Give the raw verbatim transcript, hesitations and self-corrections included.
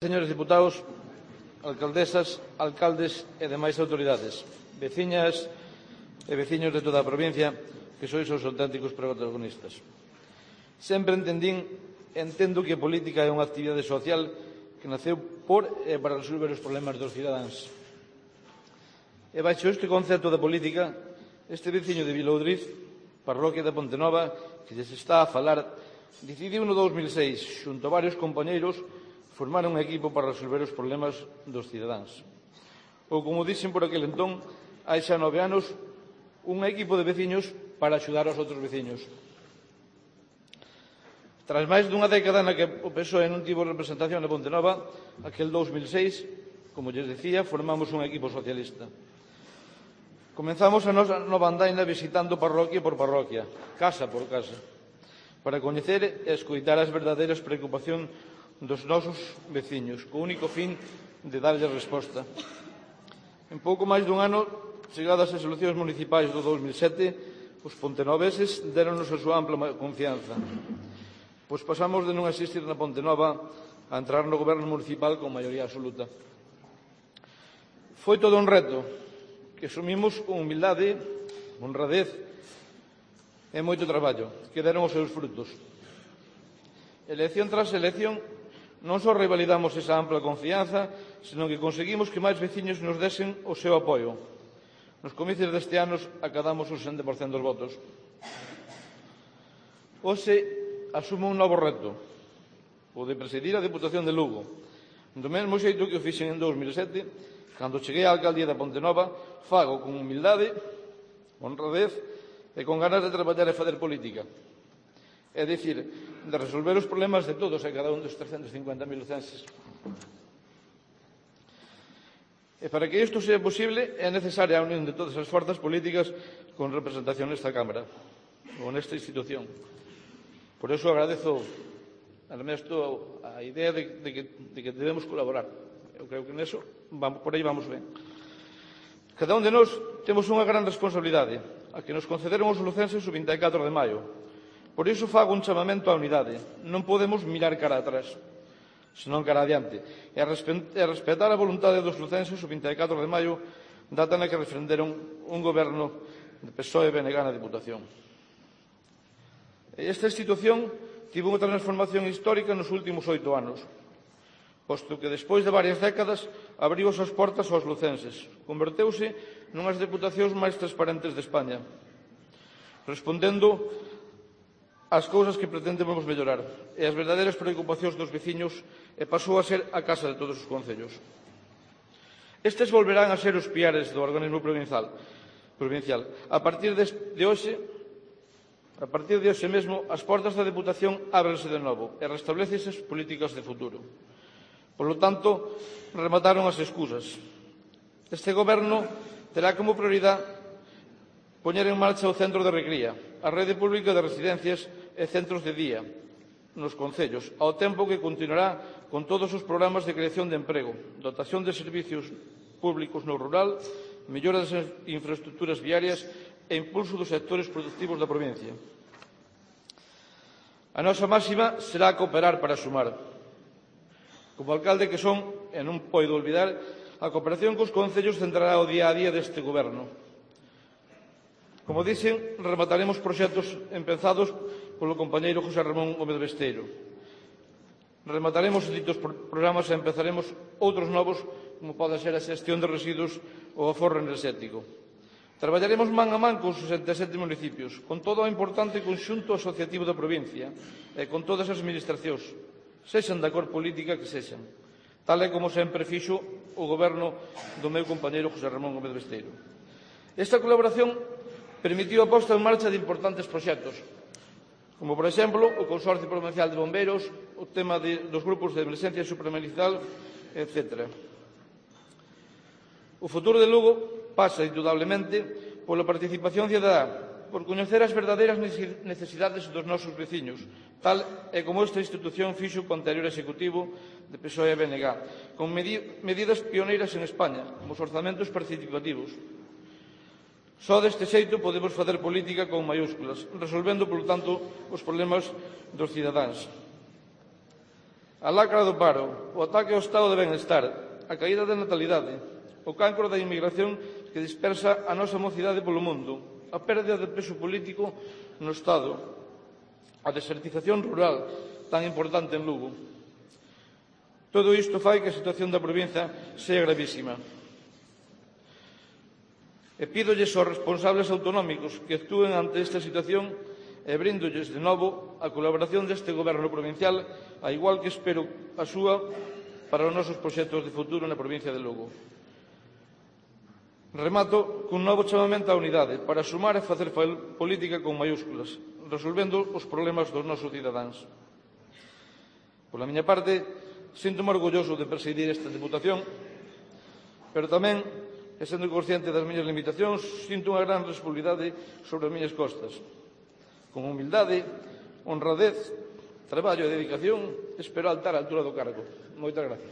Señores diputados, alcaldesas, alcaldes e demais autoridades, veciñas e veciños de toda a provincia que sois os auténticos protagonistas. Sempre entendín e entendo que a política é unha actividade social que naceu por e para resolver os problemas dos cidadáns. E baixo este concepto da política, este veciño de Viloudriz, parroquia da Pontenova, que lles está a falar, decidiu no dous mil seis, xunto a varios compañeiros, formar un equipo para resolver os problemas dos cidadáns. Ou, como dixen por aquel entón, hai xa nove anos, un equipo de veciños para axudar aos outros veciños. Tras máis dunha década na que o P S O E non tivo representación na Pontenova, aquel dous mil seis, como lles decía, formamos un equipo socialista. Comenzamos a nosa nova andaina visitando parroquia por parroquia, casa por casa, para coñecer e escoitar as verdadeiras preocupacións dos nosos veciños, co único fin de darlle resposta. En pouco máis dun ano, chegadas as eleccións municipais do dous mil sete, os pontenoveses deronnos a súa ampla confianza, pois pasamos de non existir na Pontenova a entrar no goberno municipal con maioría absoluta. Foi todo un reto que asumimos con humildade, honradez e moito traballo, que deron os seus frutos. Elección tras elección, non só revalidamos esa ampla confianza, senón que conseguimos que máis veciños nos desen o seu apoio. Nos comicios deste ano acadamos o sesenta por cento dos votos. Hoxe asumo un novo reto, o de presidir a Deputación de Lugo. Do mesmo xeito que o fixen en dous mil sete, cando cheguei á alcaldía da Pontenova, fago con humildade, honradez e con ganas de traballar e facer política. É dicir, de resolver os problemas de todos e cada un dos trescentos e cincuenta mil lucenses. E para que isto sea posible é necesaria a unión de todas as forzas políticas con representación nesta Cámara ou nesta institución. Por iso agradezo a Ernesto a idea de, de, que, de que debemos colaborar. Eu creo que neso vamos, por aí vamos ben. Cada un de nós temos unha gran responsabilidade, a que nos concederon os lucenses o vinte e catro de maio. Por iso fago un chamamento á unidade. Non podemos mirar cara atrás, senón cara adiante, e respetar a voluntade dos lucenses o vinte e catro de maio, data na que refrenderon un goberno de P S O E e B N G na Diputación. Esta institución tivo unha transformación histórica nos últimos oito anos, posto que despois de varias décadas abriu as súas portas aos lucenses. Converteuse nunhas deputacións máis transparentes de España, respondendo as cousas que pretendemos mellorar e as verdadeiras preocupacións dos veciños, e pasou a ser a casa de todos os concellos. Estes volverán a ser os piares do organismo provincial. provincial. A partir de, de hoxe, a partir de hoxe mesmo, as portas da Deputación ábrense de novo e restablecese as políticas de futuro. Por lo tanto, remataron as excusas. Este goberno terá como prioridade poñer en marcha o centro de recría, a rede pública de residencias e centros de día nos concellos, ao tempo que continuará con todos os programas de creación de emprego, dotación de servicios públicos no rural, mellora das infraestructuras viarias e impulso dos sectores productivos da provincia. A nosa máxima será cooperar para sumar. Como alcalde que son, e non podo olvidar, a cooperación cos concellos centrará o día a día deste goberno. Como dixen, remataremos proxectos empezados polo compañeiro José Ramón Gómez Besteiro. Remataremos ditos programas e empezaremos outros novos, como pode ser a xestión de residuos ou o aforro enerxético. Traballaremos man a man con os sesenta e sete municipios, con todo o importante conxunto asociativo da provincia e con todas as administracións, sexan da cor política que sexan, tal e como sempre fixo o goberno do meu compañeiro José Ramón Gómez Besteiro. Esta colaboración permitiu a posta en marcha de importantes proxectos, como, por exemplo, o Consorcio Provincial de Bombeiros, o tema de, dos grupos de emerxencia supramunicipal, etcétera. O futuro de Lugo pasa, indudablemente, pola participación cidadá, por coñecer as verdadeiras necesidades dos nosos veciños, tal e como esta institución fixo co anterior executivo de P S O E e B N G, con medidas pioneiras en España, como os orzamentos participativos. Só deste xeito podemos facer política con maiúsculas, resolvendo, polo tanto, os problemas dos cidadáns. A lacra do paro, o ataque ao estado de benestar, a caída da natalidade, o cancro da inmigración que dispersa a nosa mocidade polo mundo, a pérdida de peso político no Estado, a desertización rural tan importante en Lugo. Todo isto fai que a situación da provincia sea gravísima. E pídolles aos responsables autonómicos que actúen ante esta situación e brindolles de novo a colaboración deste Goberno provincial, a igual que espero a súa para os nosos proxectos de futuro na provincia de Lugo. Remato cun novo chamamento á unidade para sumar e facer política con maiúsculas, resolvendo os problemas dos nosos cidadáns. Pola miña parte, sinto-me orgulloso de presidir esta Deputación, pero tamén, e sendo consciente das miñas limitacións, sinto unha gran responsabilidade sobre as miñas costas. Con humildade, honradez, traballo e dedicación, espero altar a altura do cargo. Moitas gracias.